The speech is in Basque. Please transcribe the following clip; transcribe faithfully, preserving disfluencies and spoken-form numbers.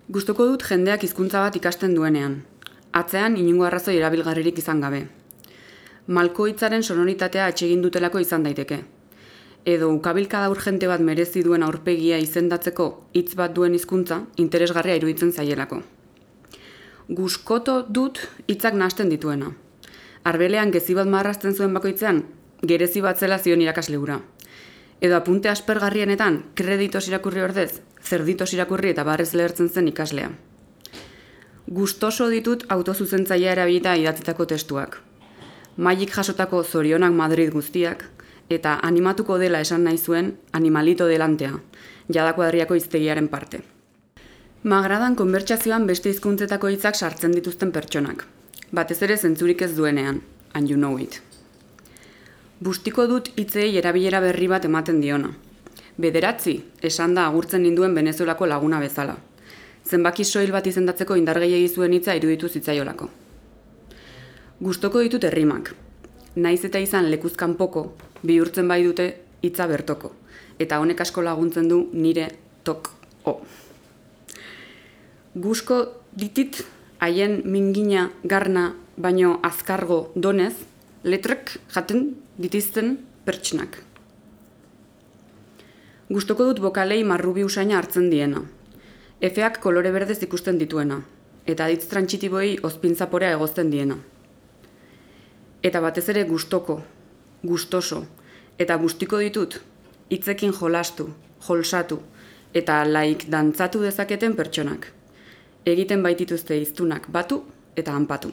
Gustuko dut jendeak hizkuntza bat ikasten duenean, atzean inongo arrazoi erabilgarririk izan gabe. Malko hitzaren sonoritatea atsegin dutelako izan daiteke. Edo ukabilkada urgente bat merezi duen aurpegia izendatzeko hitz bat duen hizkuntza interesgarria iruditzen zaielako. Guskoto dut hitzak nahasten dituena. Arbelean gezi bat marrazten zuen bakoitzean, gerezi bat zela zion irakasle hura. Edo apunte aspergarrienetan, kreditos irakurri ordez, zerditos irakurri eta barrez lehertzen zen ikaslea. Gustoso ditut autozuzentzailea erabilita idatzitako testuak. Mailik jasotako zorionak Madrid guztiak, eta animatuko dela esan nahi zuen animalito delantea, jadako herriako hiztegiaren parte. M'agradan konbertsazioan beste hizkuntzetako hitzak sartzen dituzten pertsonak. Batez ere zentzurik ez duenean, and you know it. Bustiko dut hitzei erabilera berri bat ematen diona. Bederatzi, esan da agurtzen ninduen Venezuelako laguna bezala. Zenbaki soil bat izendatzeko indar gehiegi zuen hitza iruditu zitzaiolako. Gustoko ditut errimak. Naiz eta izan lekuz kanpoko, bihurtzen bai dute hitza bertoko. Eta honek asko laguntzen du nire tok o. Gusko ditit haien mingina garna baino azkargo donez, letrek jaten ditizten pertsnak. Gustoko dut bokalei marrubi usaina hartzen diena. Efeak kolore berdez ikusten dituena, eta aditz trantsitiboei ozpintzaporea egozten diena. Eta batez ere gustoko, gustoso, eta gustiko ditut, hitzekin jolastu, jolsatu, eta laik dantzatu dezaketen pertsonak. Egiten baitituzte hiztunak batu eta hanpatu.